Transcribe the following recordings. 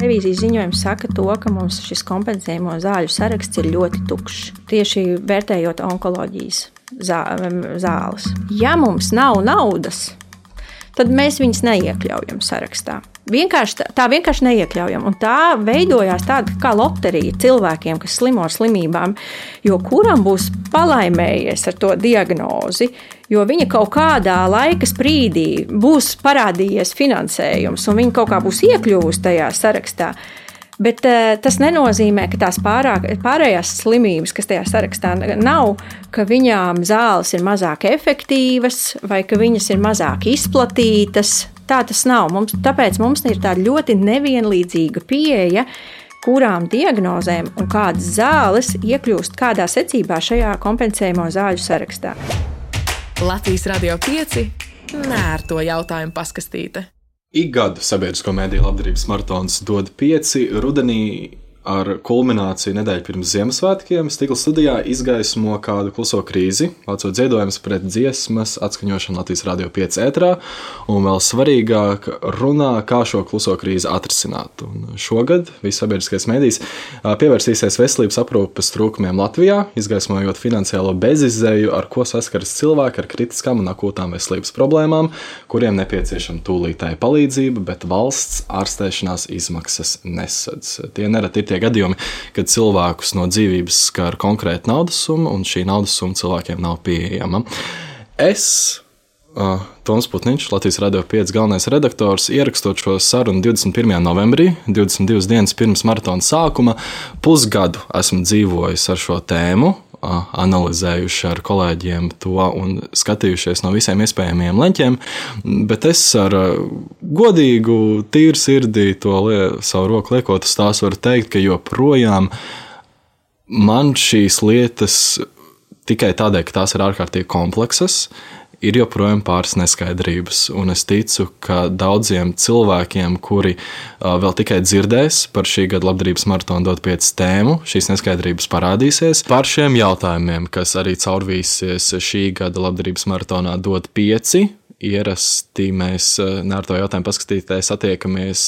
Revīzijas ziņojums saka to, ka mums šis kompensējamo zāļu saraksts ir ļoti tukšs, tieši vērtējot onkoloģijas zāles. Ja mums nav naudas, tad mēs viņus neiekļaujam sarakstā. Tā vienkārši neiekļaujam. Un tā veidojās tāda kā loterija cilvēkiem, kas slimo ar slimībām, jo kuram būs palaimējies ar to diagnozi, jo viņa kaut kādā laika sprīdī būs parādījies finansējums un viņa kaut kā būs iekļuvusi tajā sarakstā. Bet tas nenozīmē, ka tās pārējās slimības, kas tajā sarakstā nav, ka viņām zāles ir mazāk efektīvas vai ka viņas ir mazāk izplatītas. Tā tas nav. Tāpēc mums ir tāda ļoti nevienlīdzīga pieeja, kurām diagnozēm un kādas zāles iekļūst kādā secībā šajā kompensējamo zāļu sarakstā. Latvijas Radio 5 nērto jautājumu paskastīte. Ik gadu sabiedrisko mediju labdarības maratons dod 5 rudenī ar kulmināciju nedēļu pirms Ziemassvētkiem. Stikla studijā izgaismo kādu kluso krīzi, vācot ziedojumus pret dziesmas atskaņošanu Latvijas Radio 5 ētrā, un vēl svarīgāk runā, kā šo kluso krīzi atrisināt. Un šogad viss sabiedriskais medijs pievērsīsies veselības aprūpes trūkumiem Latvijā, izgaismojot finansiālo bezizēju, ar ko saskaras cilvēki ar kritiskām un akūtām veselības problēmām, kuriem nepieciešama tūlītēja palīdzība, bet valsts ārstēšanās izmaksas nesadz. Tie nereti ir tie gadījumi, kad cilvēkus no dzīvības skar konkrēta naudas summa, un šī naudas summa cilvēkiem nav pieejama. Es, Toms Putniņš, Latvijas Radio 5 galvenais redaktors, ierakstot šo sarunu 21. novembrī, 22 dienas pirms maratona sākuma, pusgadu esmu dzīvojis ar šo tēmu, analizējuši ar kolēģiem to un skatījušies no visiem iespējamiem leņķiem, bet es ar godīgu, tīru sirdī to savu roku liekot uz tās varu teikt, ka joprojām man šīs lietas tikai tādēļ, ka tās ir ārkārtīgi kompleksas, ir joprojām pāris neskaidrības, un es ticu, ka daudziem cilvēkiem, kuri vēl tikai dzirdēs par šī gada labdarības maratona dot 5 tēmu, šīs neskaidrības parādīsies. Par šiem jautājumiem, kas arī caurvīsies šī gada labdarības maratonā dot 5, ierasti mēs nērto jautājumu paskatīties attiekamies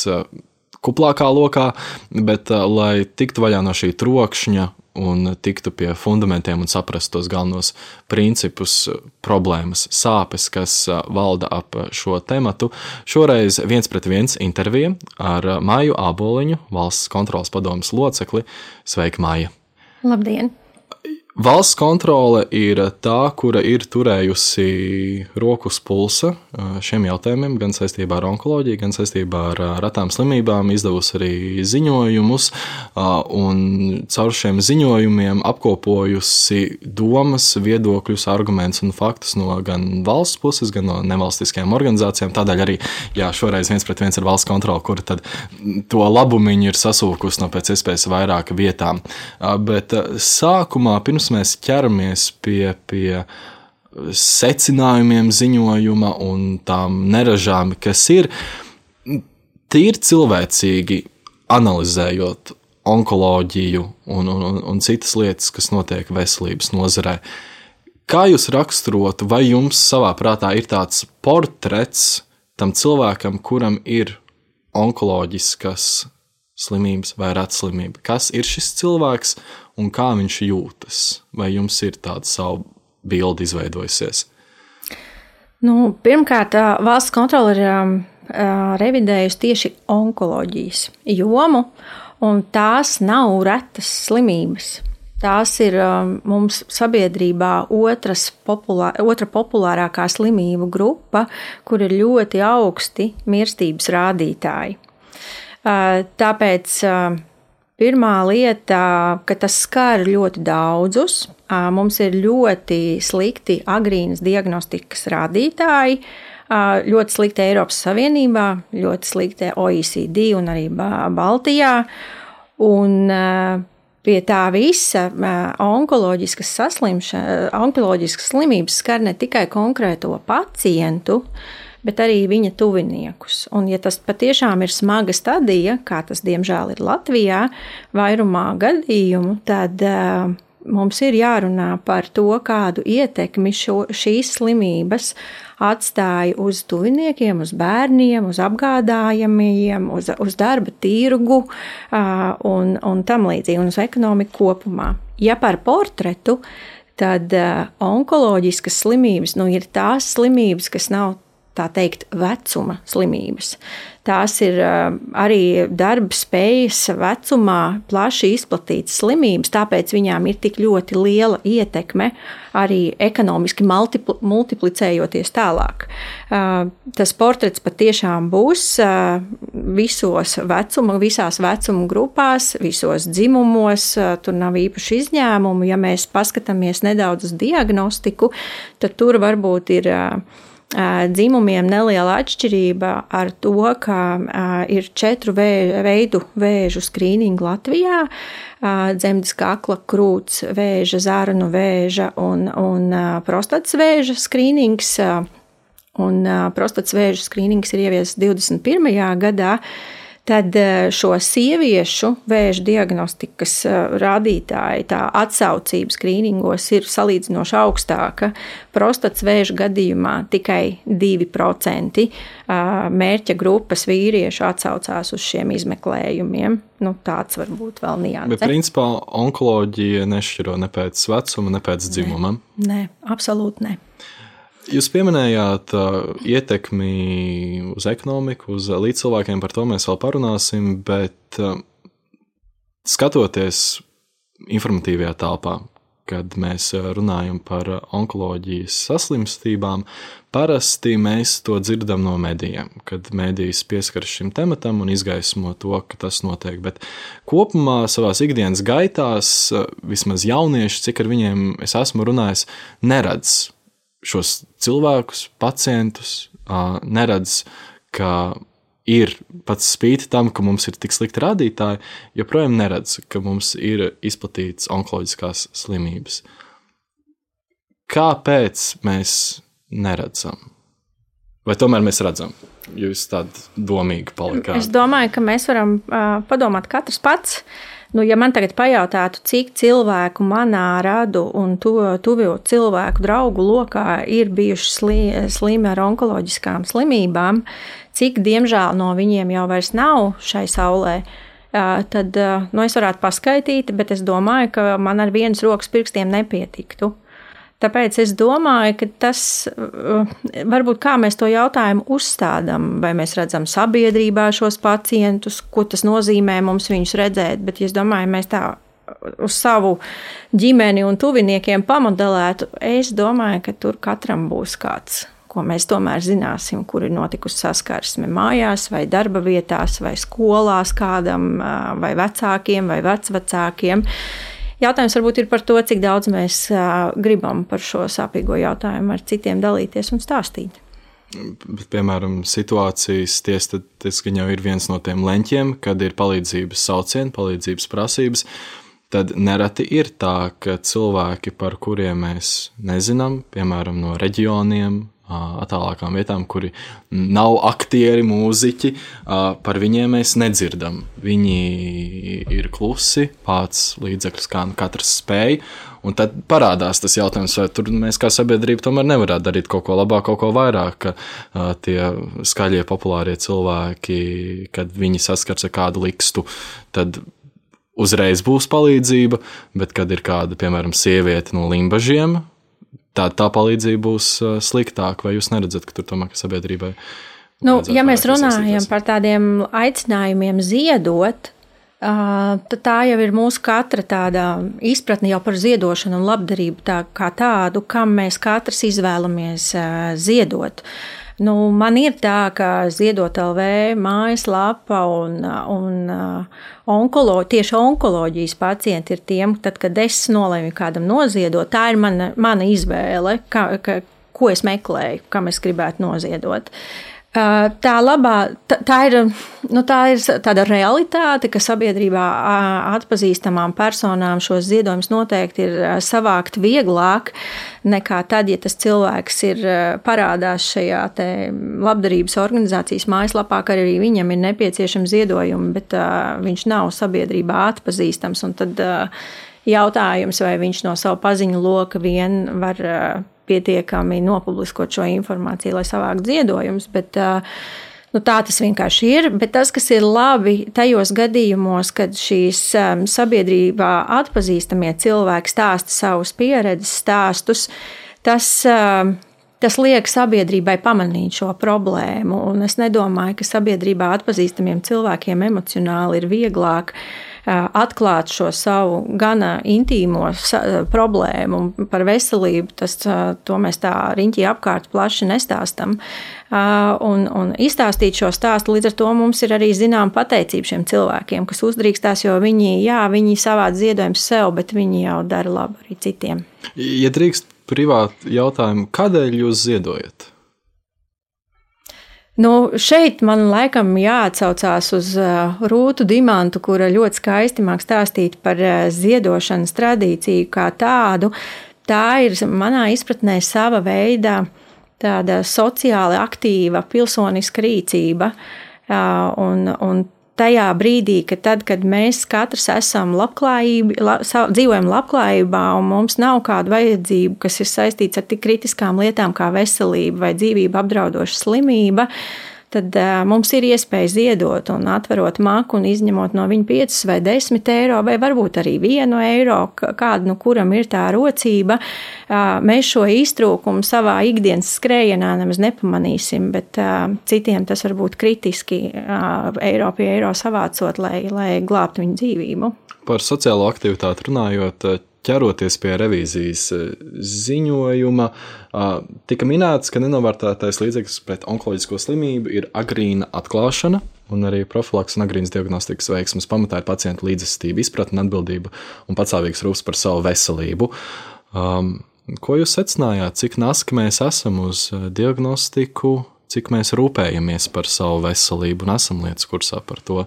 kuplākā lokā, bet lai tiktu vaļā no šī trokšņa un tiktu pie fundamentiem un saprast tos galvenos principus, problēmas, sāpes, kas valda ap šo tematu. Šoreiz 1-pret-1 intervija ar Maju Āboliņu, Valsts kontroles padomes locekli. Sveika, Maija! Labdien! Valsts kontrole ir tā, kura ir turējusi roku uz pulsa šiem jautājumiem, gan saistībā ar onkoloģiju, gan saistībā ar retām slimībām, izdevusi arī ziņojumus, un caur šiem ziņojumiem apkopojusi domas, viedokļus, argumentus un faktus no gan valsts puses, gan no nevalstiskajām organizācijām. Tādēļ arī, šoreiz 1-pret-1 ir valsts kontrole, kura tad to labumiņu ir sasūkusi no pēc iespējas vairāk vietām. Bet sākumā, pirms mēs ķeramies pie secinājumiem ziņojuma un tām neražām, kas ir, tīri cilvēcīgi analizējot onkoloģiju un citas lietas, kas notiek veselības nozarē. Kā jūs raksturotu, vai jums savā prātā ir tāds portrets tam cilvēkam, kuram ir onkoloģiskas slimības vai retslimība? Kas ir šis cilvēks un kā viņš jūtas? Vai jums ir tāda savu bildi izveidojusies? Pirmkārt, valsts kontrole ir revidējusi tieši onkoloģijas jomu, un tās nav retas slimības. Tās ir mums sabiedrībā otra populārākā slimību grupa, kur ir ļoti augsti mirstības rādītāji. Tāpēc pirmā lieta, ka tas skar ļoti daudzus, mums ir ļoti slikti agrīnas diagnostikas rādītāji, ļoti slikti Eiropas Savienībā, ļoti slikti OECD un arī Baltijā, un pie tā visa onkoloģiskas slimības skar ne tikai konkrēto pacientu, bet arī viņa tuviniekus. Un ja tas patiešām ir smaga stadija, kā tas diemžēl ir Latvijā, vairumā gadījumu, tad mums ir jārunā par to, kādu ietekmi šīs slimības atstāja uz tuviniekiem, uz bērniem, uz apgādājamajiem, uz darba tirgu un tam līdzīgi, un uz ekonomiku kopumā. Ja par portretu, tad onkoloģiskas slimības ir tās slimības, kas nav, tā teikt, vecuma slimības. Tās ir arī darba spējas vecumā plaši izplatītas slimības, tāpēc viņām ir tik ļoti liela ietekme arī ekonomiski multiplicējoties tālāk. Tas portrets patiešām būs visās vecuma grupās, visos dzimumos, tur nav īpaši izņēmumu. Ja mēs paskatāmies nedaudz uz diagnostiku, tad tur varbūt ir dzimumiem neliela atšķirība ar to, ka ir 4 veidu vēžu skrīningu Latvijā - dzemdes kakla, krūts vēža, zarnu vēža un prostatas vēža skrīnings. Un prostatas vēža skrīnings ir ieviests 21. gadā. Tad šo sieviešu vēža diagnostikas rādītāji, tā atsaucība skrīningos ir salīdzinoši augstāka. Prostatas vēža gadījumā tikai 2% mērķa grupas vīriešu atsaucās uz šiem izmeklējumiem. Tāds varbūt vēl nianse. Bet principā onkoloģija nešķiro ne pēc vecuma, ne pēc dzimuma? Nē, absolūti ne. Jūs pieminējāt ietekmi uz ekonomiku, uz līdzcilvēkiem, par to mēs vēl parunāsim, bet skatoties informatīvajā telpā, kad mēs runājam par onkoloģijas saslimstībām, parasti mēs to dzirdam no medijiem, kad medijas pieskaras šim tematam un izgaismo to, ka tas notiek. Bet kopumā savās ikdienas gaitās, vismaz jaunieši, cik ar viņiem es esmu runājis, neredz šos cilvēkus, pacientus, neredz, ka ir pats spīti tam, ka mums ir tik slikti rādītāji, joprojām neredz, ka mums ir izplatītas onkoloģiskās slimības. Kāpēc mēs neredzam? Vai tomēr mēs redzam? Jūs tādi domīgi palikāt. Es domāju, ka mēs varam padomāt katrs pats. Ja man tagad pajautātu, cik cilvēku manā radu un tuvio cilvēku draugu lokā ir bijuši slimi ar onkoloģiskām slimībām, cik diemžēl no viņiem jau vairs nav šai saulē, tad es varētu paskaitīt, bet es domāju, ka man ar vienas rokas pirkstiem nepietiktu. Tāpēc es domāju, ka tas varbūt kā mēs to jautājumu uzstādām, vai mēs redzam sabiedrībā šos pacientus, ko tas nozīmē mums viņus redzēt, bet es domāju, mēs tā uz savu ģimeni un tuviniekiem pamodelētu, es domāju, ka tur katram būs kāds, ko mēs tomēr zināsim, kur ir notikusi saskarsme mājās vai darba vietās vai skolās kādam vai vecākiem vai vecvecākiem. Jautājums varbūt ir par to, cik daudz mēs gribam par šo sāpīgo jautājumu ar citiem dalīties un stāstīt. Bet, piemēram, situācijas tas gan jau ir viens no tiem leņķiem, kad ir palīdzības saucieni, palīdzības prasības, tad nereti ir tā, ka cilvēki, par kuriem mēs nezinām, piemēram, no reģioniem, attālākām vietām, kuri nav aktieri, mūziķi, par viņiem mēs nedzirdam. Viņi ir klusi, pats līdzekļus, kā katrs spēj, un tad parādās tas jautājums, vai tur mēs kā sabiedrība tomēr nevarētu darīt kaut ko labāk, kaut ko vairāk, ka tie skaļie, populārie cilvēki, kad viņi saskars ar kādu likstu, tad uzreiz būs palīdzība, bet kad ir kāda, piemēram, sieviete no Limbažiem, tā palīdzība būs sliktāka, vai jūs neredzat, ka tur tomēr sabiedrībai? Ja mēs runājam par tādiem aicinājumiem ziedot, tad tā jau ir mūsu katra tāda izpratne jau par ziedošanu un labdarību kā tādu, kam mēs katrs izvēlamies ziedot. Man ir tā, ka Ziedot LV mājaslapa un tieši onkoloģijas pacienti ir tiem, tad, kad es nolēmu kādam noziedot, tā ir mana izvēle, ko es meklēju, kam es gribētu noziedot. Tā ir tāda realitāte, ka sabiedrībā atpazīstamām personām šos ziedojumus noteikti ir savākt vieglāk nekā tad, ja tas cilvēks ir parādās šajā te labdarības organizācijas mājaslapā, ka arī viņam ir nepieciešami ziedojumi, bet viņš nav sabiedrībā atpazīstams, un tad jautājums, vai viņš no savu paziņu loka vien var pietiekami nopubliskot šo informāciju, lai savāktu ziedojumus, bet tā tas vienkārši ir. Bet tas, kas ir labi tajos gadījumos, kad šīs sabiedrībā atpazīstamie cilvēki stāsta savus pieredzes stāstus, tas liek sabiedrībai pamanīt šo problēmu. Un es nedomāju, ka sabiedrībā atpazīstamiem cilvēkiem emocionāli ir vieglāk atklāt šo savu gana intīmo problēmu par veselību. To mēs tā riņķī apkārt plaši nestāstam. Un izstāstīt šo stāstu, līdz ar to mums ir arī zinām pateicība šiem cilvēkiem, kas uzdrīkstās, jo viņi savāc ziedojumus sev, bet viņi jau dara labu arī citiem. Ja drīkst privāti jautājumu, kādēļ jūs ziedojat? Šeit man laikam jāatsaucās uz Rūtu Dimantu, kura ļoti skaisti māk stāstīt par ziedošanas tradīciju kā tādu. Tā ir manā izpratnē sava veida tāda sociāli aktīva pilsoniska rīcība. Un tajā brīdī, kad mēs katrs esam dzīvojam labklājībā un mums nav kāda vajadzība, kas ir saistīts ar tik kritiskām lietām kā veselība vai dzīvību apdraudoša slimība, tad mums ir iespēja ziedot un atverot maku un izņemot no viņa 5 vai 10 eiro vai varbūt arī 1 eiro, kādu, kuram ir tā rocība. Mēs šo iztrūkumu savā ikdienas skrējienā nemaz nepamanīsim, bet citiem tas var būt kritiski eiro pie eiro savācot, lai glābtu viņu dzīvību. Par sociālo aktivitāti runājot, ķeroties pie revīzijas ziņojuma, tika minēts, ka nenovērtētais līdzeklis pret onkoloģisko slimību ir agrīna atklāšana un arī profilaks un agrīnas diagnostikas veiksmes pamatā ir pacienta līdzestība, izpratne, atbildība un patstāvīgs rūpes par savu veselību. Ko jūs secinājāt, cik naski mēs esam uz diagnostiku, cik mēs rūpējamies par savu veselību un esam lietas kursā par to,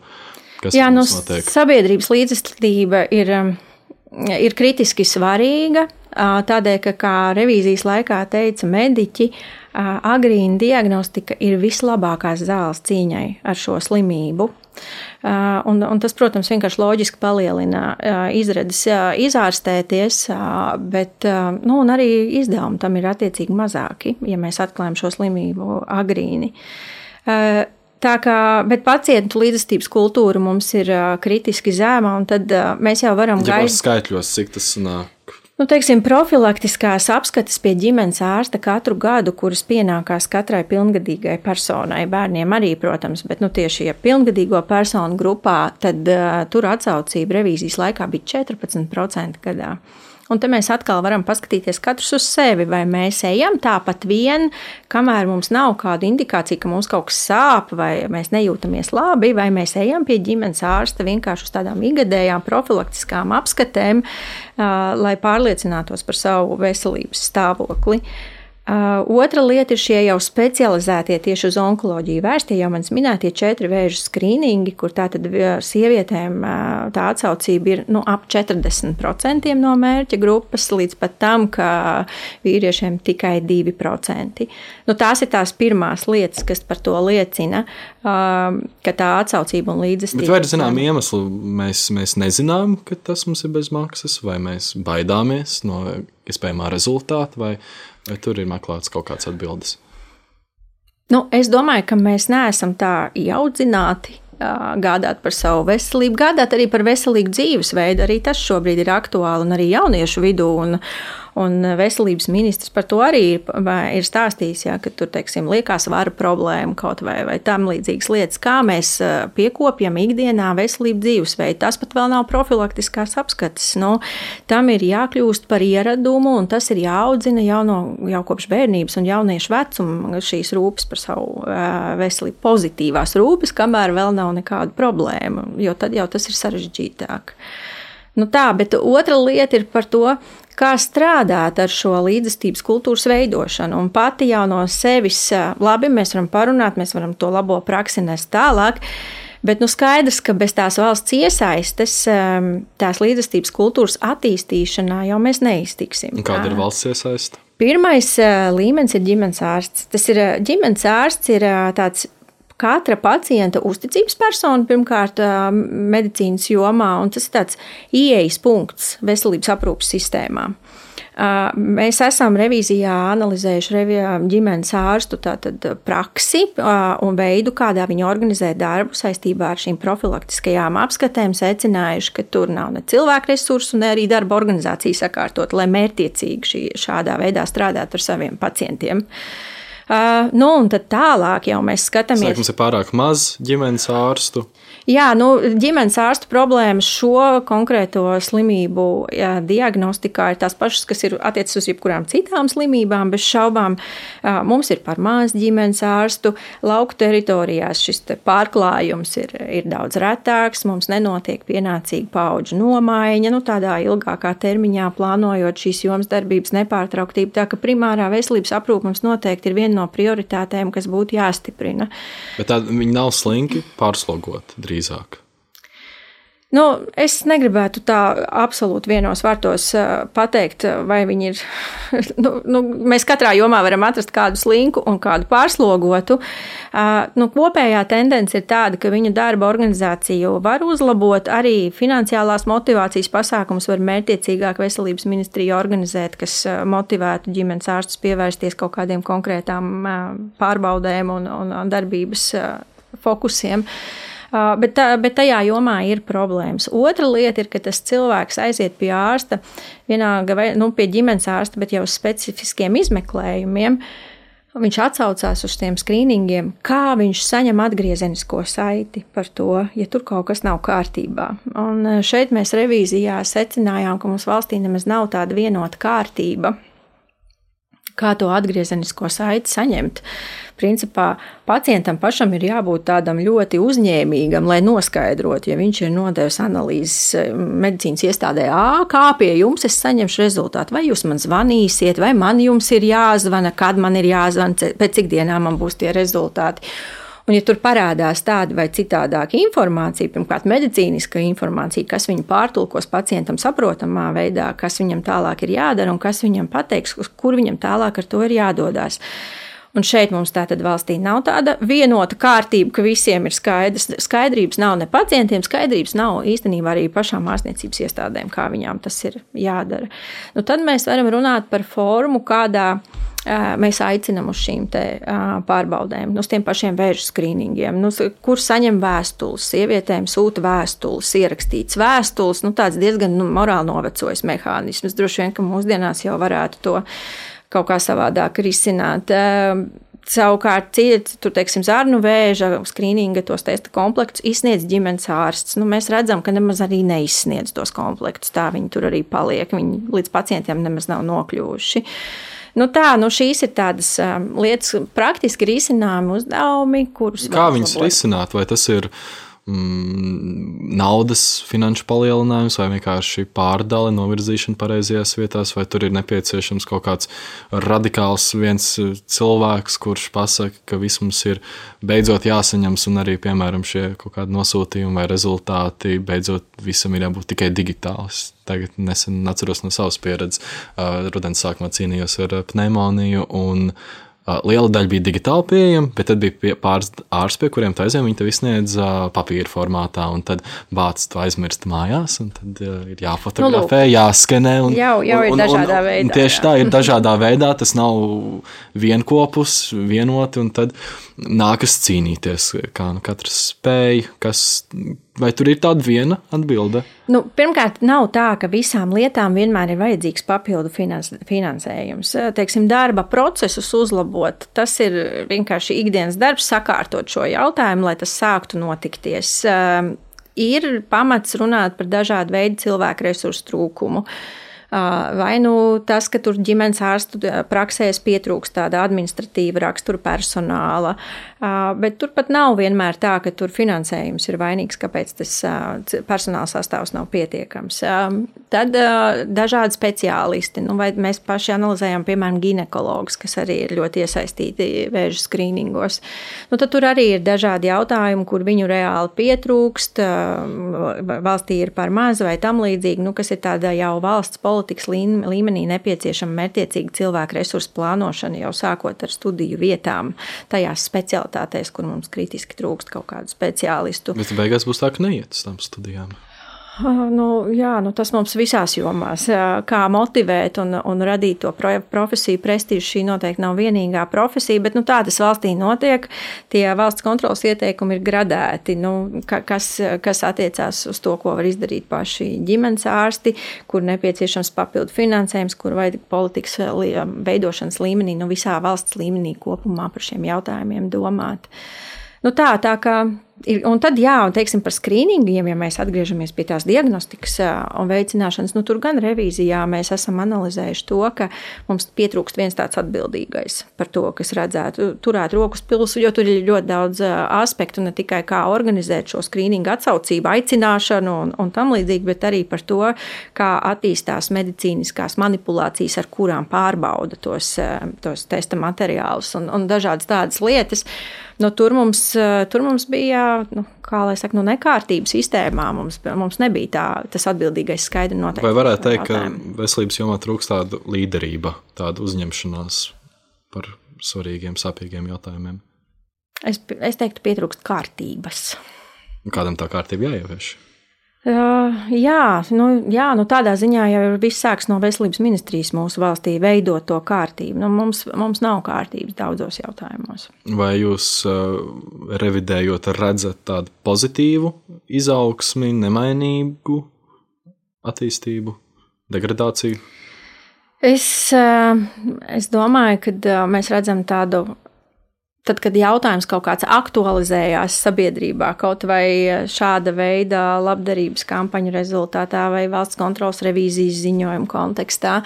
kas mums notiek? Sabiedrības līdzestība ir kritiski svarīga, tādēļ, ka, kā revīzijas laikā teica mediķi, agrīna diagnostika ir vislabākās zāles cīņai ar šo slimību. Un tas, protams, vienkārši loģiski palielina izredzes izārstēties, bet un arī izdevumi tam ir attiecīgi mazāki, ja mēs atklājam šo slimību agrīni. Bet pacientu līdzestības kultūra mums ir kritiski zema, un tad mēs jau varam gaidīt. Skaitļos, cik tas nāk? Profilaktiskās apskates pie ģimenes ārsta katru gadu, kuras pienākās katrai pilngadīgai personai, bērniem arī, protams, bet tieši pilngadīgo personu grupā, tad tur atsaucība revīzijas laikā bija 14% gadā. Un te mēs atkal varam paskatīties katrs uz sevi, vai mēs ejam tāpat vien, kamēr mums nav kāda indikācija, ka mums kaut kas sāp, vai mēs nejūtamies labi, vai mēs ejam pie ģimenes ārsta vienkārši uz tādām ikgadējām profilaktiskām apskatēm, lai pārliecinātos par savu veselības stāvokli. Otra lieta ir šie jau specializētie tieši uz onkoloģiju vērstie, jau manis minētie 4 vēža skrīningi, kur tātad sievietēm tā atsaucība ir ap 40% no mērķa grupas, līdz pat tam, ka vīriešiem tikai 2%. Tās ir tās pirmās lietas, kas par to liecina, ka tā atsaucība un līdzestība. Bet vai ir zinām iemesli, mēs nezinām, ka tas mums ir bez maksas, vai mēs baidāmies no iespējamā rezultāta, vai tur ir meklēts kaut kāds atbildes? Es domāju, ka mēs neesam tā ieaudzināti gādāt par savu veselību, gādāt arī par veselīgu dzīvesveidu. Arī tas šobrīd ir aktuāli un arī jauniešu vidū. Un veselības ministrs par to arī ir stāstījis, ka tur, teiksim, liekas svara problēma kaut vai tam līdzīgas lietas, kā mēs piekopjam ikdienā veselību dzīvesveidu. Tas pat vēl nav profilaktiskās apskates. Tam ir jākļūst par ieradumu, un tas ir jāaudzina jau kopš bērnības un jauniešu vecuma šīs rūpes par savu veselību, pozitīvās rūpes, kamēr vēl nav nekāda problēma, jo tad jau tas ir sarežģītāk. Bet otra lieta ir par to, kā strādāt ar šo līdzestības kultūras veidošanu. Un pati jau no sevis, labi, mēs varam parunāt, mēs varam to labo praksi nest tālāk, bet skaidrs, ka bez tās valsts iesaistes, tās līdzestības kultūras attīstīšanā jau mēs neiztiksim. Kāda ir valsts iesaiste? Pirmais līmenis ir ģimenes ārsts. Tas ir ģimenes ārsts, ir tāds katra pacienta uzticības persona, pirmkārt, medicīnas jomā, un tas ir tāds ieejas punkts veselības aprūpes sistēmā. Mēs esam revīzijā analizējuši ģimenes ārstu praksi un veidu, kādā viņi organizē darbu saistībā ar šīm profilaktiskajām apskatēm, secinājuši, ka tur nav ne cilvēku resursu, ne arī darba organizācija sakārtot, lai mērķtiecīgi šādā veidā strādāt ar saviem pacientiem. Un tad tālāk jau mēs skatāmies. Mums ir pārāk maz ģimenes ārstu. Jā, ģimenes ārstu problēmas šo konkrēto slimību diagnostikā ir tās pašas, kas ir attiecas uz jebkurām citām slimībām, bez šaubām. Mums ir par maz ģimenes ārstu. Lauku teritorijās šis pārklājums ir daudz retāks, mums nenotiek pienācīga paudžu nomaiņa, tādā ilgākā termiņā plānojot šīs jomas darbības nepārtrauktību, tā ka primārā veselības aprūpe mums noteikti ir viena no prioritātēm, kas būtu jāstiprina. Bet viņi nav slinki pārslogoti drīzāk. Es negribētu tā absolūti vienos vārtos pateikt, vai viņi ir. Mēs katrā jomā varam atrast kādu slinku un kādu pārslogotu. Kopējā tendence ir tāda, ka viņu darba organizāciju var uzlabot, arī finansiālās motivācijas pasākums var mērķtiecīgāk veselības ministrija organizēt, kas motivētu ģimenes ārstus pievērsties kaut kādiem konkrētām pārbaudēm un darbības fokusiem. Bet tajā jomā ir problēmas. Otra lieta ir, ka tas cilvēks aiziet pie ārsta, pie ģimenes ārsta, bet jau uz specifiskiem izmeklējumiem. Viņš atsaucās uz tiem skrīningiem, kā viņš saņem atgriezenisko saiti par to, ja tur kaut kas nav kārtībā. Un šeit mēs revīzijā secinājām, ka mums valstī nemaz nav tāda vienota kārtība, kā to atgriezenisko saiti saņemt. Principā pacientam pašam ir jābūt tādam ļoti uzņēmīgam, lai noskaidrotu, ja viņš ir nodevis analīzes medicīnas iestādē, kā pie jums es saņemšu rezultātu, vai jūs man zvanīsiet, vai man jums ir jāzvana, kad man ir jāzvana, pēc cik dienām man būs tie rezultāti. Un, ja tur parādās tāda vai citādāka informācija, pirmkārt medicīniska informācija, kas viņu pārtulkos pacientam saprotamā veidā, kas viņam tālāk ir jādara un kas viņam pateiks, kur viņam tālāk ar to ir jādodās. Un šeit mums tātad valstī nav tāda vienota kārtība, ka visiem ir skaidrs. Skaidrības nav ne pacientiem, skaidrības nav īstenībā arī pašām ārstniecības iestādēm, kā viņām tas ir jādara. Tad mēs varam runāt par formu, kādā mēs aicinam uz šīm pārbaudēm, uz tiem pašiem vēža skrīningiem, kur saņem vēstules, sievietēm sūta vēstules, ierakstīts vēstules, tāds diezgan morāli novecojis mehānisms. Droši vien, ka mūsdienās jau varētu to kaut kā savādāk risināt. Savukārt, tur, teiksim, zarnu vēža skrīninga tos testa komplektus izsniedz ģimenes ārsts. Mēs redzam, ka nemaz arī neizsniedz tos komplektus. Tā viņi tur arī paliek. Viņi līdz pacientiem nemaz nav nokļuvuši. Šīs ir tādas lietas, praktiski risināmi uzdevumi, kurus kā viņus risināt? Vai tas ir naudas finanšu palielinājums vai vienkārši pārdale, novirzīšana pareizajās vietās, vai tur ir nepieciešams kaut kāds radikāls viens cilvēks, kurš pasaka, ka viss mums ir beidzot jāsaņems un arī, piemēram, šie kaut kādi nosūtījumi vai rezultāti beidzot visam ir jābūt tikai digitāls. Tagad nesen atceros no savas pieredzes. Rudens sākumā cīnījos ar pneimoniju un liela daļa bija digitāli pieejama, bet tad bija pāris ārsti, pie kuriem taisnība viņi tev izsniedz papīra formātā, un tad bācis to aizmirst mājās, un tad ir jāfotografē, jāskenē. Jau ir dažādā veidā. Tieši tā, ir dažādā veidā, tas nav vienopus, vienoti, un tad nākas cīnīties, kā katrs spēj, vai tur ir tāda viena atbilde? Pirmkārt, nav tā, ka visām lietām vienmēr ir vajadzīgs papildu finansējums. Teiksim, darba procesus uzlabot, tas ir vienkārši ikdienas darbs, sakārtot šo jautājumu, lai tas sāktu notikties. Ir pamats runāt par dažādu veidu cilvēku resursu trūkumu. Vai tas, ka tur ģimenes ārstu praksēs pietrūkst tāda administratīva rakstura personāla, bet turpat nav vienmēr tā, ka tur finansējums ir vainīgs, kāpēc tas personāla sastāvs nav pietiekams. Tad dažādi speciālisti, vai mēs paši analizējam, piemēram, ginekologus, kas arī ir ļoti iesaistīti vēža skrīningos. Tad tur arī ir dažādi jautājumi, kur viņu reāli pietrūkst, valstī ir par maz vai tam līdzīgi, kas ir tāda jau valsts politikas līmenī nepieciešama mērķtiecīga cilvēku resursu plānošana, jau sākot ar studiju vietām tajās specialitātēs, specialitātēs, kur mums kritiski trūkst kaut kādu speciālistu. Bet beigās būs tā, ka neiet uz tām studijām. Tas mums visās jomās. Kā motivēt un radīt to profesiju, prestižu, šī noteikti nav vienīgā profesija, bet tā tas valstī notiek. Tie valsts kontrolas ieteikumi ir gradēti, kas attiecās uz to, ko var izdarīt paši ģimenes ārsti, kur nepieciešams papildu finansējums, kur vajag politikas veidošanas līmenī, visā valsts līmenī kopumā par šiem jautājumiem domāt. Tā kā un tad, teiksim, par skrīningiem, ja mēs atgriežamies pie tās diagnostikas un veicināšanas, tur gan revīzijā mēs esam analizējuši to, ka mums pietrūkst viens tāds atbildīgais par to, kas redzētu turēt rokas pilsu, jo tur ir ļoti daudz aspektu, ne tikai kā organizēt šo skrīningu atsaucību, aicināšanu un tam līdzīgi, bet arī par to, kā attīstās medicīniskās manipulācijas, ar kurām pārbauda tos testa materiālus un dažādas tādas lietas. Tur mums bija, kā lai saka, nekārtība sistēmā. Mums nebija tas atbildīgais skaidri noteikti. Vai varētu teikt, ka veselības jomā trūkst tāda līderība, tāda uzņemšanās par svarīgiem, sāpīgiem jautājumiem? Es teiktu, pietrūkst kārtības. Kādam tā kārtība jāievieš? Tādā ziņā jau viss sāks no veselības ministrijas mūsu valstī veidot to kārtību. Mums nav kārtības daudzos jautājumos. Vai jūs revidējot redzat tādu pozitīvu izaugsmi, nemainīgu attīstību, degradāciju? Es domāju, ka mēs redzam tādu. Tad, kad jautājums kaut kāds aktualizējās sabiedrībā, kaut vai šāda veida labdarības kampaņu rezultātā vai valsts kontrolas revīzijas ziņojuma kontekstā,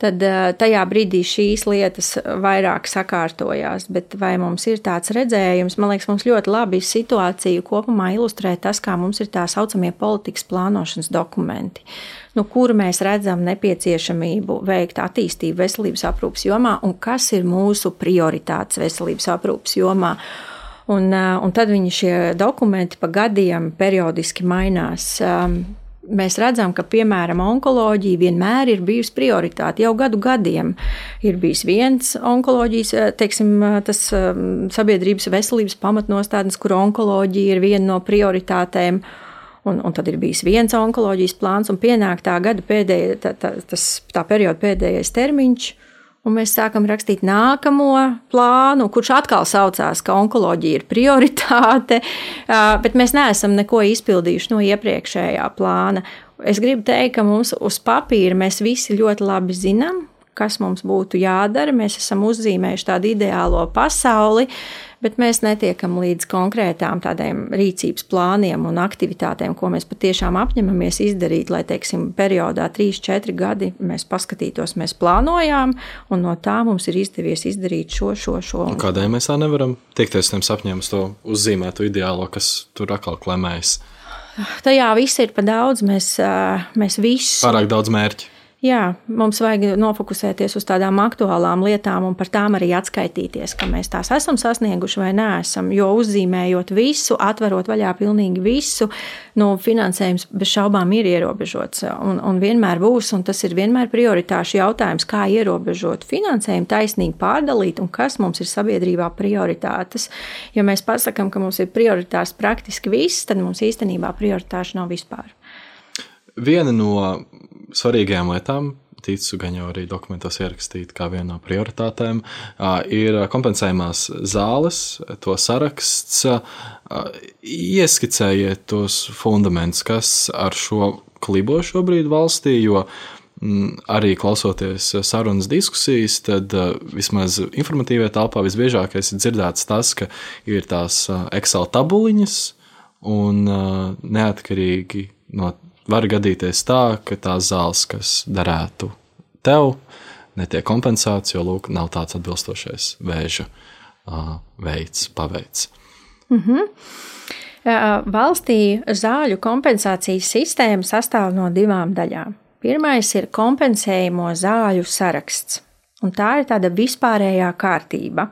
tad tajā brīdī šīs lietas vairāk sakārtojās. Bet vai mums ir tāds redzējums? Man liekas, mums ļoti labi situāciju kopumā ilustrē tas, kā mums ir tā saucamie politikas plānošanas dokumenti, kur mēs redzam nepieciešamību veikt attīstību veselības aprūpes jomā un kas ir mūsu prioritātes veselības aprūpes jomā. Un tad šie dokumenti pa gadiem periodiski mainās. Mēs redzam, ka, piemēram, onkoloģija vienmēr ir bijusi prioritāte. Jau gadiem ir bijis viens onkoloģijas, teiksim, tas sabiedrības veselības pamatnostādnes, kur onkoloģija ir viena no prioritātēm. Un tad ir bijis viens onkoloģijas plāns, un pienāk tā perioda pēdējais termiņš, un mēs sākam rakstīt nākamo plānu, kurš atkal saucās, ka onkoloģija ir prioritāte, bet mēs neesam neko izpildījuši no iepriekšējā plāna. Es gribu teikt, ka mums uz papīra mēs visi ļoti labi zinām, kas mums būtu jādara. Mēs esam uzzīmējuši tādu ideālo pasauli, bet mēs netiekam līdz konkrētām tādiem rīcības plāniem un aktivitātēm, ko mēs patiešām apņemamies izdarīt, lai, teiksim, periodā 3-4 gadi mēs paskatītos, mēs plānojām, un no tā mums ir izdevies izdarīt šo. Kādēļ mēs tā nevaram tiekties tiem sapņiem uz to uzzīmēto ideālo, kas tur atkal klemējas? Tajā viss ir pa daudz, mēs visu. Pārāk daudz mērķi. Jā, mums vajag nofokusēties uz tādām aktuālām lietām un par tām arī atskaitīties, ka mēs tās esam sasnieguši vai neesam, jo uzzīmējot visu, atverot vaļā pilnīgi visu, finansējums bez šaubām ir ierobežots un vienmēr būs, un tas ir vienmēr prioritāšu jautājums, kā ierobežot finansējumu, taisnīgi pārdalīt un kas mums ir sabiedrībā prioritātes. Ja mēs pasakam, ka mums ir prioritārs praktiski viss, tad mums īstenībā prioritāšu nav vispār. Viena no svarīgajām lietām, ticu gan jau arī dokumentos ierakstīt kā viena no prioritātēm, ir kompensējumās zāles, to saraksts. Ieskicējiet tos fundamentus, kas ar šo klibo šobrīd valstī, jo arī klausoties sarunas diskusijas, tad vismaz informatīvajā telpā visbiežākais ir dzirdēts tas, ka ir tās Excel tabuliņas un neatkarīgi no var gadīties tā, ka tās zāles, kas derētu tev, netiek kompensētas, jo, lūk, nav tāds atbilstošais vēža veids, paveids. Valstī zāļu kompensācijas sistēma sastāv no 2 daļām. Pirmais ir kompensējumo zāļu saraksts, un tā ir tāda vispārējā kārtība.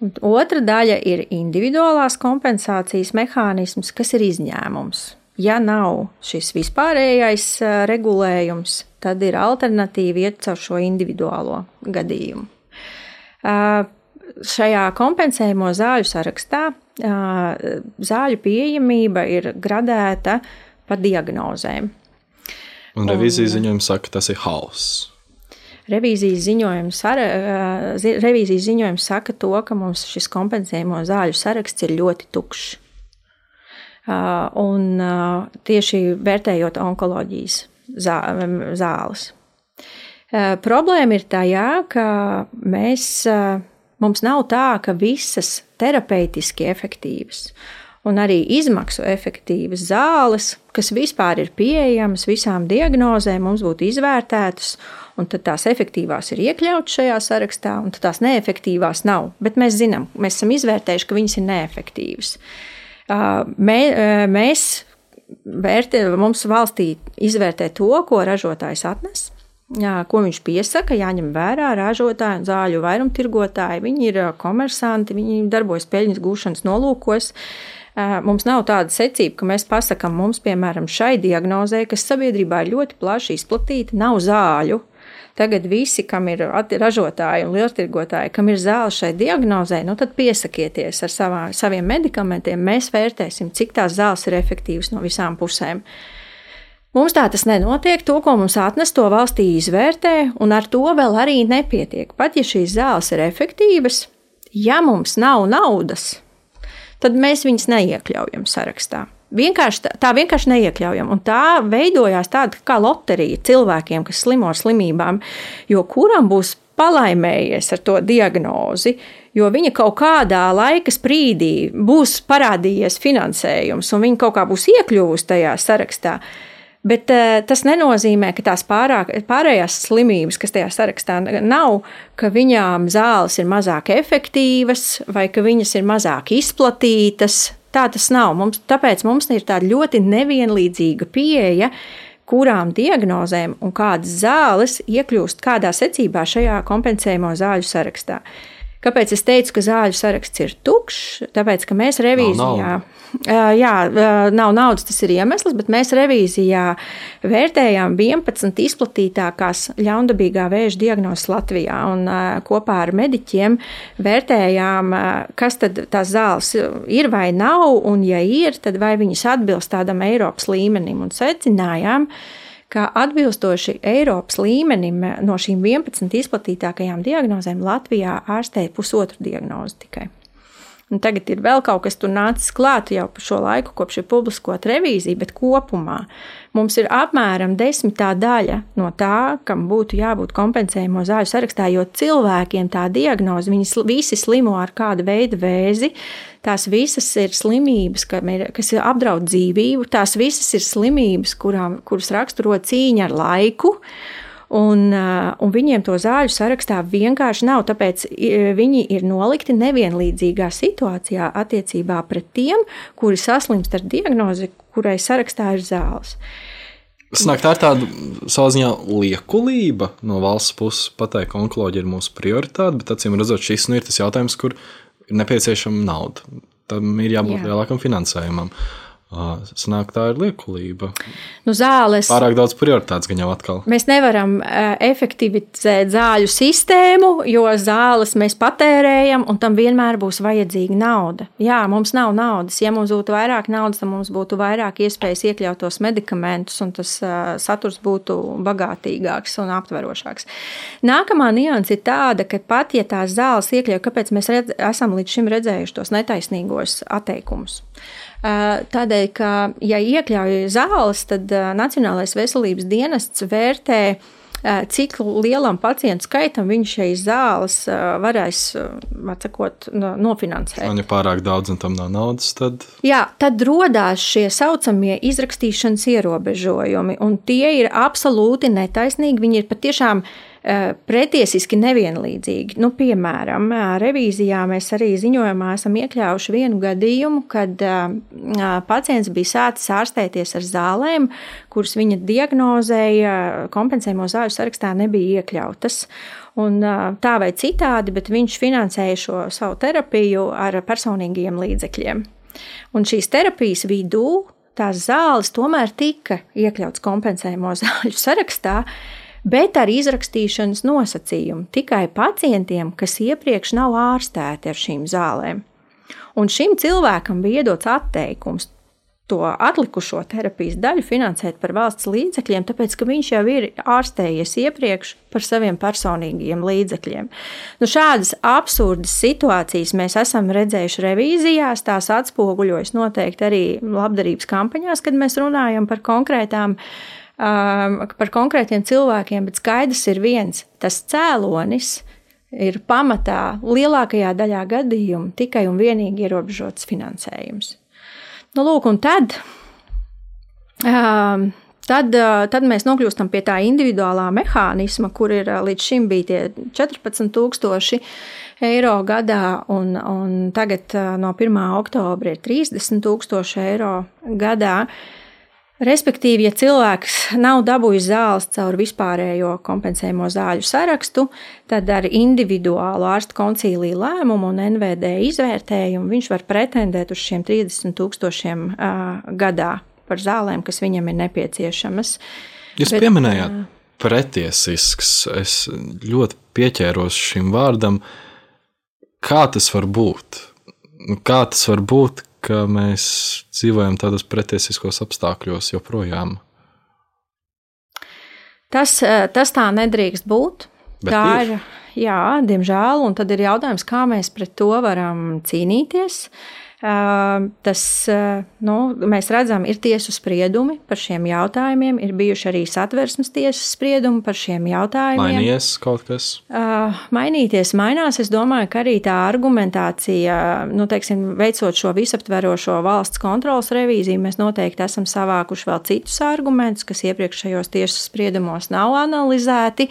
Un otra daļa ir individuālās kompensācijas mehānisms, kas ir izņēmums. Ja nav šis vispārējais regulējums, tad ir alternatīva iet caur šo individuālo gadījumu. šajā kompensējamo zāļu sarakstā zāļu pieejamība ir gradēta pa diagnozēm. Un revīzijas ziņojums saka, ka tas ir hauss. Revīzijas ziņojums saka to, ka mums šis kompensējamo zāļu saraksts ir ļoti tukšs. Un tieši vērtējot onkoloģijas zāles. Problēma ir tajā, ka mums nav tā, ka visas terapeitiski efektīvas un arī izmaksu efektīvas zāles, kas vispār ir pieejamas visām diagnozēm, mums būtu izvērtētas, un tad tās efektīvās ir iekļautas šajā sarakstā, un tad tās neefektīvās nav. Bet mēs zinām, mēs esam izvērtējuši, ka viņas ir neefektīvas. Mums valstī izvērtē to, ko ražotājs atnes, ko viņš piesaka, jāņem vērā ražotāji un zāļu vairumtirgotāji. Viņi ir komersanti, viņi darbojas peļņas gūšanas nolūkos. Mums nav tāda secība, ka mēs pasakām, mums, piemēram, šai diagnozē, kas sabiedrībā ir ļoti plaši izplatīta, nav zāļu. Tagad visi, kam ir ražotāji un lieltirgotāji, kam ir zāle šai diagnozē, tad piesakieties ar saviem medikamentiem, mēs vērtēsim, cik tās zāles ir efektīvas no visām pusēm. Mums tā tas nenotiek, to, ko mums atnes, to valstī izvērtē, un ar to vēl arī nepietiek. Pat ja šīs zāles ir efektīvas, ja mums nav naudas, tad mēs viņus neiekļaujam sarakstā. Vienkārši neiekļaujam. Un tā veidojās tāda kā loterija cilvēkiem, kas slimo ar slimībām, jo kuram būs palaimējies ar to diagnozi, jo viņa kaut kādā laika sprīdī būs parādījies finansējums, un viņa kaut kā būs iekļuvusi tajā sarakstā. Bet tas nenozīmē, ka tās pārējās slimības, kas tajā sarakstā nav, ka viņām zāles ir mazāk efektīvas vai ka viņas ir mazāk izplatītas. Tā tas nav. Tāpēc mums ir tāda ļoti nevienlīdzīga pieeja, kurām diagnozēm un kādas zāles iekļūst kādā secībā šajā kompensējamo zāļu sarakstā. Kāpēc es teicu, ka zāļu saraksts ir tukšs? Tāpēc, ka mēs revīzijā, nav naudas, tas ir iemesls, bet mēs revīzijā vērtējām 11 izplatītākās ļaundabīgā vēža diagnozes Latvijā un kopā ar mediķiem vērtējām, kas tad tās zāles ir vai nav, un ja ir, tad vai viņas atbilst tādam Eiropas līmenim, un secinājām, ka atbilstoši Eiropas līmenim no šīm 11 izplatītākajām diagnozēm Latvijā ārstēja pusotru diagnozi tikai. Un tagad ir vēl kaut kas tur nācis klāt jau par šo laiku, kopš ir publiskot revīziju, bet kopumā mums ir apmēram 10. daļa no tā, kam būtu jābūt kompensējamo zāļu sarakstā, jo cilvēkiem tā diagnoze, viņi visi slimo ar kādu veidu vēzi, tās visas ir slimības, kas apdraud dzīvību, tās visas ir slimības, kuras raksturo cīņa ar laiku, un viņiem to zāļu sarakstā vienkārši nav, tāpēc viņi ir nolikti nevienlīdzīgā situācijā attiecībā pret tiem, kuri saslimst ar diagnozi, kurai sarakstā ir zāles. Sanāk, tā ir tāda savā ziņā liekulība no valsts puses pateikt, ka onkoloģija ir mūsu prioritāte, bet acīm redzot, šis ir tas jautājums, kur ir nepieciešama nauda. Tam ir jābūt lielākam finansējumam. Sanāk, tā ir liekulība. Zāles. Pārāk daudz prioritātes gan jau atkal. Mēs nevaram efektivizēt zāļu sistēmu, jo zāles mēs patērējam, un tam vienmēr būs vajadzīga nauda. Jā, mums nav naudas. Ja mums būtu vairāk naudas, tad mums būtu vairāk iespējas iekļaut tos medikamentus, un tas saturs būtu bagātīgāks un aptverošāks. Nākamā nianse ir tāda, ka pat ja tās zāles iekļauj, kāpēc mēs esam līdz šim redzējuši tos netaisnīgos atteikumus. Tādēļ, ka, ja iekļauj zāles, tad Nacionālais veselības dienests vērtē, cik lielam pacientu skaitam viņš šīs zāles varēs, nofinansēt. Un ja pārāk daudz un tam nav naudas, tad... Jā, tad rodās šie saucamie izrakstīšanas ierobežojumi, un tie ir absolūti netaisnīgi, viņi ir patiešām pretiesiski nevienlīdzīgi. Piemēram, revīzijā mēs arī ziņojumā esam iekļāvuši vienu gadījumu, kad pacients bija sācis ārstēties ar zālēm, kuras viņa diagnozēja kompensējamo zāļu sarakstā nebija iekļautas. Un tā vai citādi, bet viņš finansēja šo savu terapiju ar personīgiem līdzekļiem. Un šīs terapijas vidū tās zāles tomēr tika iekļautas kompensējamo zāļu sarakstā, bet ar izrakstīšanas nosacījumu tikai pacientiem, kas iepriekš nav ārstēti ar šīm zālēm. Un šim cilvēkam bija iedots atteikums to atlikušo terapijas daļu finansēt par valsts līdzekļiem, tāpēc, ka viņš jau ir ārstējies iepriekš par saviem personīgiem līdzekļiem. Nu, šādas absurdas situācijas mēs esam redzējuši revīzijās, tās atspoguļojas noteikti arī labdarības kampaņās, kad mēs runājam par konkrētiem cilvēkiem, bet skaidrs ir viens, tas cēlonis ir pamatā lielākajā daļā gadījumu tikai un vienīgi ierobežots finansējums. Nu, lūk, un tad mēs nokļūstam pie tā individuālā mehānisma, kur ir līdz šim bija tie 14,000 eiro gadā, un tagad no 1. oktobra ir 30,000 eiro gadā. Respektīvi, ja cilvēks nav dabūjis zāles caur vispārējo kompensējumu zāļu sarakstu, tad ar individuālu ārstu koncīliju lēmumu un NVD izvērtējumu viņš var pretendēt uz šiem 30,000 gadā par zālēm, kas viņam ir nepieciešamas. Jūs pieminējāt pretiesisks, es ļoti pieķēros šim vārdam. Kā tas var būt? Kā tas var būt, ka mēs dzīvojam tādos pretiesiskos apstākļos joprojām? Tas tā nedrīkst būt. Bet tā ir, jā, diemžēl, un tad ir jautājums, kā mēs pret to varam cīnīties. Mēs redzam, ir tiesu spriedumi par šiem jautājumiem, ir bijuši arī Satversmes tiesas spriedumi par šiem jautājumiem. Mainījies kaut kas? Mainīties mainās. Es domāju, ka arī tā argumentācija, veicot šo visaptverošo valsts kontrolas revīziju, mēs noteikti esam savākuši vēl citus argumentus, kas iepriekšējos tiesas spriedumos nav analizēti.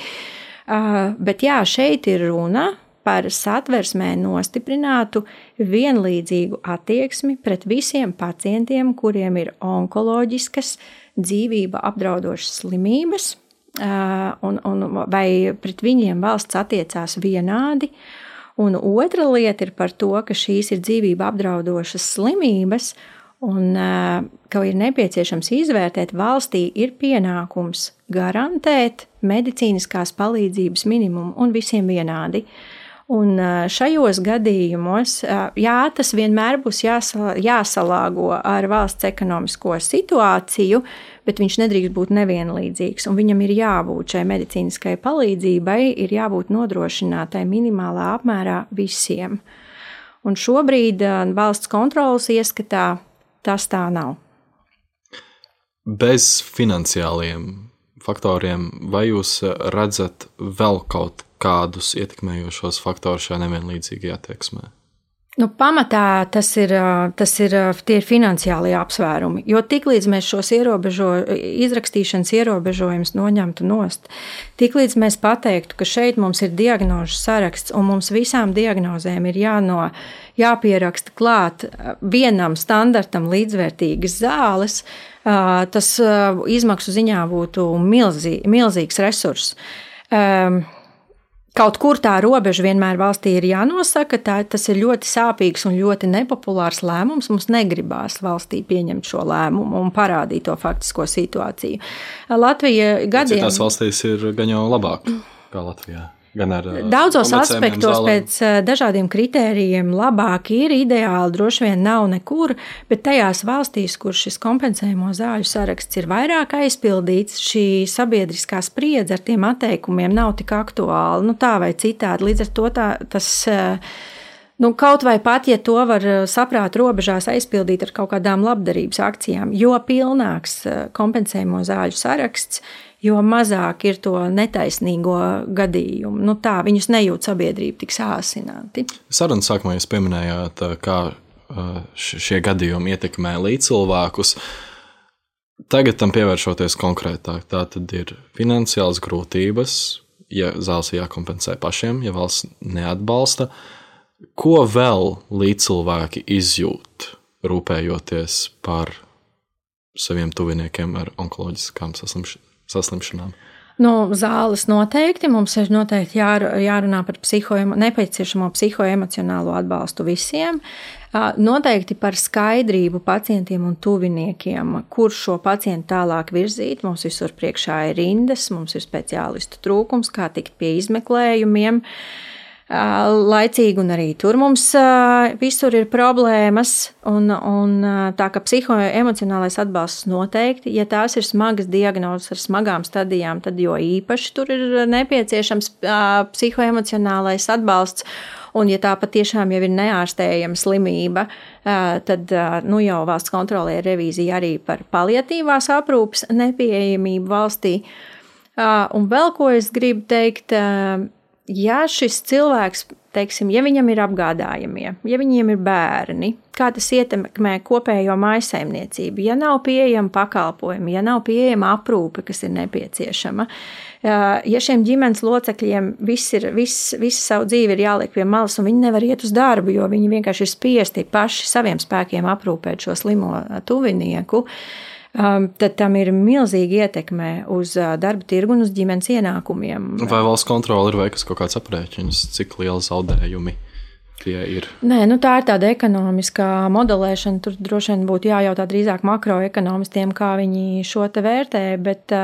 Bet jā, šeit ir runa par Satversmē nostiprinātu vienlīdzīgu attieksmi pret visiem pacientiem, kuriem ir onkoloģiskas, dzīvību apdraudošas slimības, vai pret viņiem valsts attiecās vienādi. Un otra lieta ir par to, ka šīs ir dzīvību apdraudošas slimības, un ka ir nepieciešams izvērtēt, valstī ir pienākums garantēt medicīniskās palīdzības minimumu un visiem vienādi. Un šajos gadījumos, jā, tas vienmēr būs jāsalāgo ar valsts ekonomisko situāciju, bet viņš nedrīkst būt nevienlīdzīgs, un viņam ir jābūt šai medicīniskai palīdzībai, ir jābūt nodrošinātai minimālā apmērā visiem. Un šobrīd valsts kontrolas ieskatā tas tā nav. Bez finansiāliem faktoriem, vai jūs redzat vēl kaut kādus ietekmējošos faktorus šajā nevienlīdzīgajā attieksmē? Pamatā tie ir finansiālie apsvērumi, jo tiklīdz mēs šos izrakstīšanas ierobežojumus noņemtu nost, tiklīdz mēs pateiktu, ka šeit mums ir diagnožu saraksts un mums visām diagnozēm ir jāpieraksta klāt vienam standartam līdzvērtīgas zāles, tas izmaksu ziņā būtu milzīgs resurss. Kaut kur tā robeža vienmēr valstī ir jānosaka, tas ir ļoti sāpīgs un ļoti nepopulārs lēmums. Mums negribās valstī pieņemt šo lēmumu un parādīt to faktisko situāciju. Latvija gadiem... Citās valstīs ir gan jau labāk kā Latvijā. Daudzos aspektos pēc dažādiem kritērijiem labāk ir, ideāli droši vien nav nekur, bet tajās valstīs, kur šis kompensējumo zāļu saraksts ir vairāk aizpildīts, šī sabiedriskā spriedze ar tiem atteikumiem nav tik aktuāla, tā vai citādi. Līdz ar to tas... kaut vai pat, ja to var saprāt robežās aizpildīt ar kaut kādām labdarības akcijām, jo pilnāks kompensējumo zāļu saraksts, jo mazāk ir to netaisnīgo gadījumu. Viņus nejūt sabiedrība tik sāsināti. Sarunas sākumā jūs pieminējāt, kā šie gadījumi ietekmē līdzcilvēkus. Tagad tam pievēršoties konkrētāk, tā tad ir finansiālas grūtības, ja zāles jākompensē pašiem, ja valsts neatbalsta. Ko vēl līdzcilvēki izjūt, rūpējoties par saviem tuviniekiem ar onkoloģiskām saslimšanām? Zāles noteikti. Mums ir noteikti jārunā par nepieciešamo psihoemocionālo atbalstu visiem. Noteikti par skaidrību pacientiem un tuviniekiem, kur šo pacientu tālāk virzīt. Mums visur priekšā ir rindas, mums ir speciālistu trūkums, kā tikt pie izmeklējumiem laicīgi, un arī tur mums visur ir problēmas, un tā kā psihoemocionālais atbalsts noteikti, ja tās ir smagas diagnozes ar smagām stadijām, tad jo īpaši tur ir nepieciešams psihoemocionālais atbalsts, un ja tā patiešām jau ir neārstējama slimība, tad jau valsts kontrolē revīzija arī par paliatīvās aprūpes nepieejamību valstī. Un vēl ko es gribu teikt, ja šis cilvēks, teiksim, ja viņam ir apgādājamie, ja viņiem ir bērni, kā tas ietekmē kopējo mājsaimniecību, ja nav pieejama pakalpojumi, ja nav pieejama aprūpe, kas ir nepieciešama, ja šiem ģimenes locekļiem visu savu dzīvi ir jāliek pie malas un viņi nevar iet uz darbu, jo viņi vienkārši ir spiesti paši saviem spēkiem aprūpēt šo slimo tuvinieku, tad tam ir milzīga ietekme uz darba tirgu un uz ģimenes ienākumiem. Vai valsts kontrole ir veikusi kaut kāds aprēķins, cik liela zaudējumi tie ir? Nē, tā ir tāda ekonomiskā modelēšana. Tur droši vien būtu jājautā drīzāk makroekonomistiem, kā viņi šo te vērtē, bet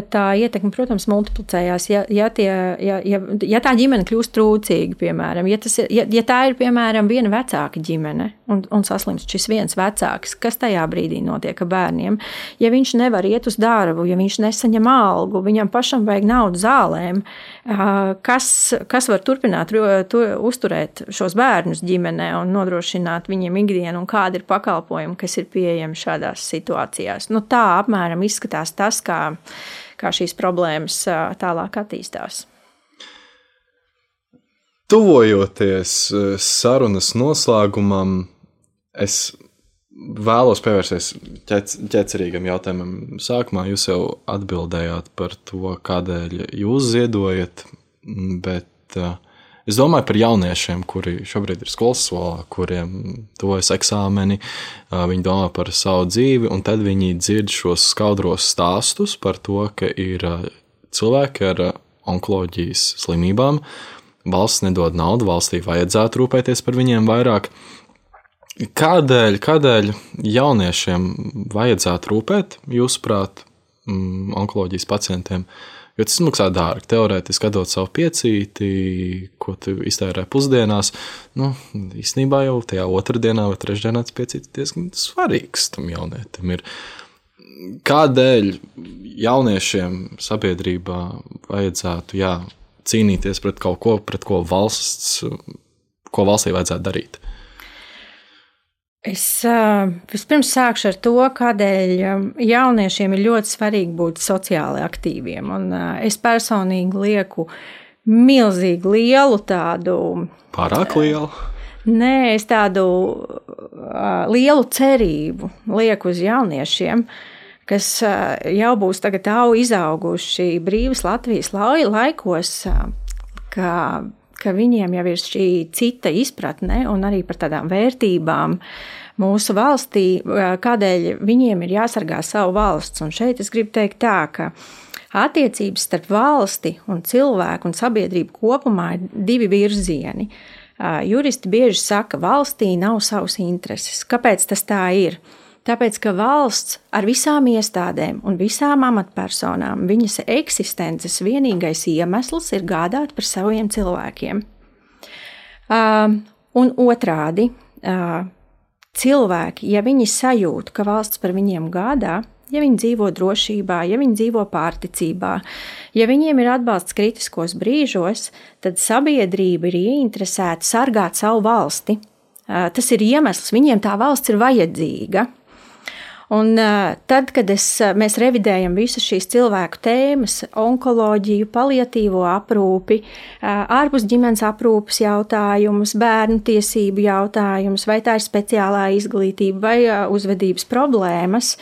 tā ietekme, protams, multiplicējās. Ja tā ģimene kļūst trūcīga, piemēram, ja tā ir, piemēram, viena vecāka ģimene un saslimst šis viens vecāks, kas tajā brīdī notiek ar bērniem? Ja viņš nevar iet uz darbu, ja viņš nesaņem algu, viņam pašam vajag naudu zālēm, kas var turpināt uzturēt šos bērnus ģimenē un nodrošināt viņiem ikdienu, un kādi ir pakalpojumi, kas ir pieejami šādās situācijās? Tā apmēram izskatās tas, kā šīs problēmas tālāk attīstās. Tuvojoties sarunas noslēgumam, es vēlos pievērsties ķecerīgam jautājumam. Sākumā jūs jau atbildējāt par to, kādēļ jūs ziedojat, bet es domāju par jauniešiem, kuri šobrīd ir skolas solā, kuriem tuvojas eksāmeni, viņi domā par savu dzīvi, un tad viņi dzird šos skaudros stāstus par to, ka ir cilvēki ar onkoloģijas slimībām, valsts nedod naudu, valstī vajadzētu rūpēties par viņiem vairāk. Kādēļ jauniešiem vajadzētu rūpēt, jūsuprāt, onkoloģijas pacientiem? Jo tas maksā dārgi. Teorētiski atdot savu piecīti, ko tu iztērē pusdienās. Īstenībā jau tajā otrdienā vai trešdienā tas piecītis diezgan svarīgs tam jaunietim ir. Kādēļ jauniešiem sabiedrībā vajadzētu cīnīties pret kaut ko, pret ko valstī vajadzētu darīt? Es vispirms sākšu ar to, kādēļ jauniešiem ir ļoti svarīgi būt sociāli aktīviem. Un es personīgi lieku milzīgi lielu tādu... Pārāk lielu? Nē, es tādu lielu cerību lieku uz jauniešiem, kas jau būs tagad izauguši brīvas Latvijas laikos, ka viņiem jau ir šī cita izpratne un arī par tādām vērtībām mūsu valstī, kādēļ viņiem ir jāsargā savu valsts. Un šeit es gribu teikt tā, ka attiecības starp valsti un cilvēku un sabiedrību kopumā ir divi virzieni. Juristi bieži saka, valstī nav savas intereses. Kāpēc tas tā ir? Tāpēc, ka valsts ar visām iestādēm un visām amatpersonām, viņas eksistences vienīgais iemesls ir gādāt par saviem cilvēkiem. Un otrādi, cilvēki, ja viņi sajūt, ka valsts par viņiem gādā, ja viņi dzīvo drošībā, ja viņi dzīvo pārticībā, ja viņiem ir atbalsts kritiskos brīžos, tad sabiedrība ir ieinteresēta sargāt savu valsti. Tas ir iemesls, viņiem tā valsts ir vajadzīga. Un tad, kad mēs revidējam visas šīs cilvēku tēmas, onkoloģiju, paliatīvo aprūpi, ārpus ģimenes aprūpes jautājumus, bērnu tiesību jautājumus, vai tā ir speciālā izglītība vai uzvedības problēmas,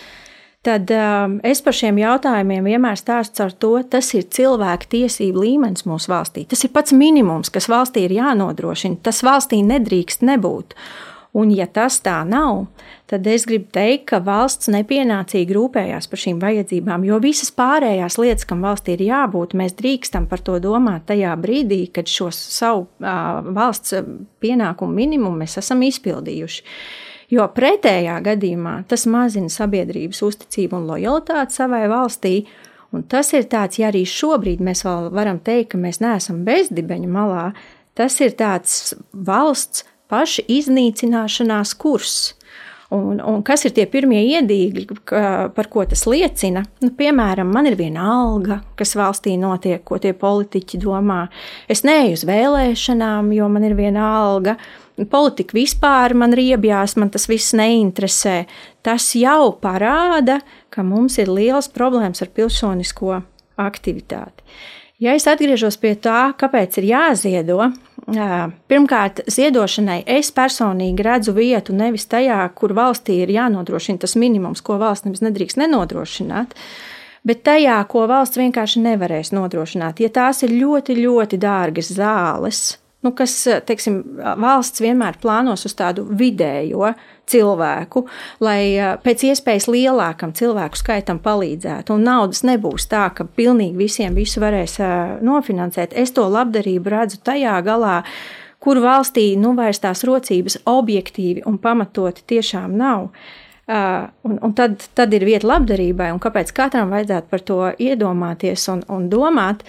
tad es par šiem jautājumiem vienmēr stāstu ar to, tas ir cilvēku tiesību līmenis mūsu valstī. Tas ir pats minimums, kas valstī ir jānodrošina. Tas valstī nedrīkst nebūt. Un ja tas tā nav, tad es gribu teikt, ka valsts nepienācīgi rūpējās par šīm vajadzībām, jo visas pārējās lietas, kam valstī ir jābūt, mēs drīkstam par to domāt tajā brīdī, kad šo savu valsts pienākumu minimumu mēs esam izpildījuši. Jo pretējā gadījumā tas mazina sabiedrības uzticību un lojalitāti savai valstī, un tas ir tāds, ja arī šobrīd mēs vēl varam teikt, ka mēs neesam bezdibeņa malā, tas ir tāds valsts paši iznīcināšanās kurs. Un kas ir tie pirmie iedīgļi, par ko tas liecina? Piemēram, man ir viena alga, kas valstī notiek, ko tie politiķi domā. Es neeju uz vēlēšanām, jo man ir viena alga. Politika vispār man riebjās, man tas viss neinteresē. Tas jau parāda, ka mums ir liels problēmas ar pilsonisko aktivitāti. Ja es atgriežos pie tā, kāpēc ir jāziedo, pirmkārt, ziedošanai es personīgi redzu vietu nevis tajā, kur valstī ir jānodrošina tas minimums, ko valsts nemaz nedrīkst nenodrošināt, bet tajā, ko valsts vienkārši nevarēs nodrošināt. Ja tās ir ļoti, ļoti dārgas zāles, kas, teiksim, valsts vienmēr plānos uz tādu vidējo cilvēku, lai pēc iespējas lielākam cilvēku skaitam palīdzētu, un naudas nebūs tā, ka pilnīgi visiem visu varēs nofinansēt. Es to labdarību redzu tajā galā, kur valstī vairs tās rocības objektīvi un pamatoti tiešām nav. Un tad ir vieta labdarībai, un kāpēc katram vajadzētu par to iedomāties un domāt.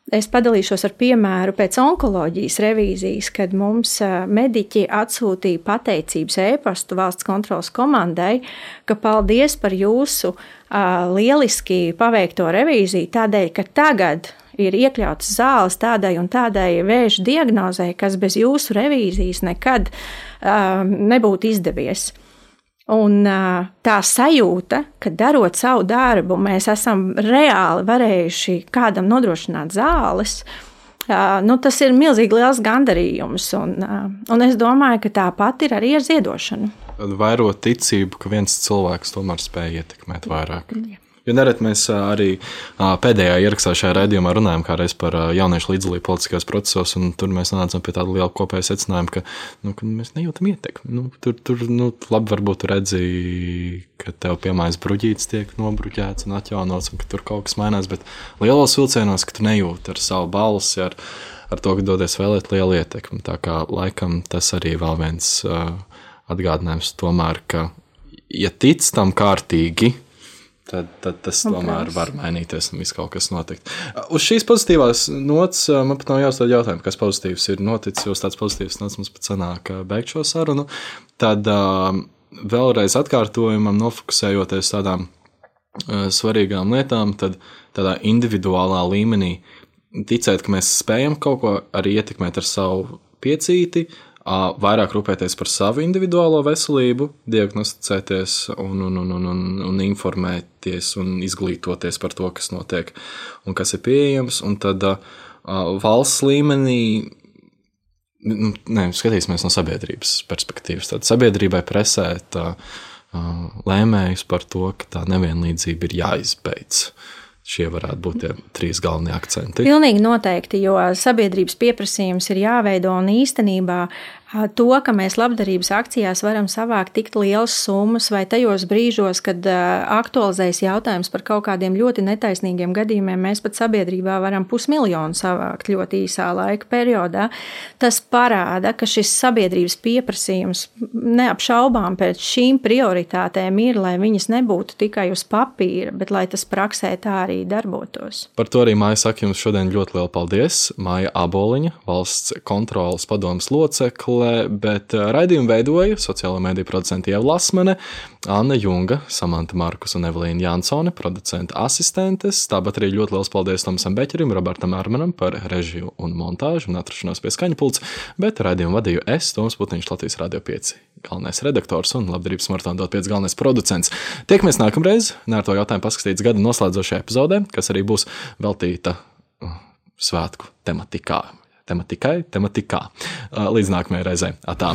Es padalīšos ar piemēru pēc onkoloģijas revīzijas, kad mums mediķi atsūtīja pateicības ēpastu valsts kontrolas komandai, ka paldies par jūsu lieliski paveikto revīziju, tādēļ, ka tagad ir iekļautas zāles tādai un tādai vēža diagnozei, kas bez jūsu revīzijas nekad nebūtu izdevies. Un tā sajūta, ka darot savu darbu, mēs esam reāli varējuši kādam nodrošināt zāles, tas ir milzīgi liels gandarījums. Un es domāju, ka tāpat ir arī ar ziedošanu. Vairo ticību, ka viens cilvēks tomēr spēj ietekmēt vairāk. Jo nereti mēs arī pēdējā ierakstā šajā raidījumā runājam kādreiz par jauniešu līdzdalību politiskajos procesos, un tur mēs nonācam pie tāda liela kopēja secinājuma, ka mēs nejūtam ietekmi. Tur labi varbūt redzi, ka tev piemājas bruģītis tiek nobruģēts un atjaunots, un ka tur kaut kas mainās, bet lielos vilcienos, ka tu nejūti ar savu balsi, ar to, ka dodies vēlēt lielu ietekmi. Tā kā laikam tas arī vēl viens atgādinājums tomēr, ka ja tic tam kārtīgi, tad tas tomēr var mainīties un viss kaut kas notikt. Uz šīs pozitīvās nots man pat nav jāuzdod jautājumu, kas pozitīvs ir noticis, jo tāds pozitīvs nots mums pat sanāk beigt šo sarunu. Tad vēlreiz atkārtojumam, nofokusējoties tādām svarīgām lietām, tad tādā individuālā līmenī ticēt, ka mēs spējam kaut ko arī ietekmēt ar savu piecīti, vairāk rūpēties par savu individuālo veselību, diagnosticēties un informēties un izglītoties par to, kas notiek un kas ir pieejams. Un tad valsts līmenī, skatīsimies no sabiedrības perspektīvas. Tad sabiedrībai presēt lēmējus par to, ka tā nevienlīdzība ir jāizbeidz. Šie varētu būt tie 3 galvenie akcenti. Pilnīgi noteikti, jo sabiedrības pieprasījums ir jāveido un īstenībā to, ka mēs labdarības akcijās varam savākt tik lielas summas vai tajos brīžos, kad aktualizējas jautājums par kaut kādiem ļoti netaisnīgiem gadījumiem, mēs pat sabiedrībā varam 500 000 savākt ļoti īsā laika periodā. Tas parāda, ka šis sabiedrības pieprasījums neapšaubām pēc šīm prioritātēm ir, lai viņas nebūtu tikai uz papīra, bet lai tas praksē tā arī darbotos. Par to arī Maija saka jums šodien ļoti lielu paldies. Maija Aboliņa, valsts kontrolas padomes locekle, bet raidījumu veidoja sociālo mediju producenti Ieva Lasmane, Anna Junga, Samanta Markus un Evelīna Jansone, producenta asistentes. Tāpat arī ļoti liels paldies Tomasam Beķerim, Robertam Armanam par režiju un montāžu un atrašanos pie skaņa pults, bet raidījumu vadīju es, Toms Putniņš, Latvijas Radio 5 galvenais redaktors un labdarības maratona Dot 5 galvenais producents. Tiekamies nākamreiz, Nērto jautājumu paskatīts gada noslēdzošajā epizodē, kas arī būs veltīta svētku tematikā. Līdz nākamajai reizei. Atā.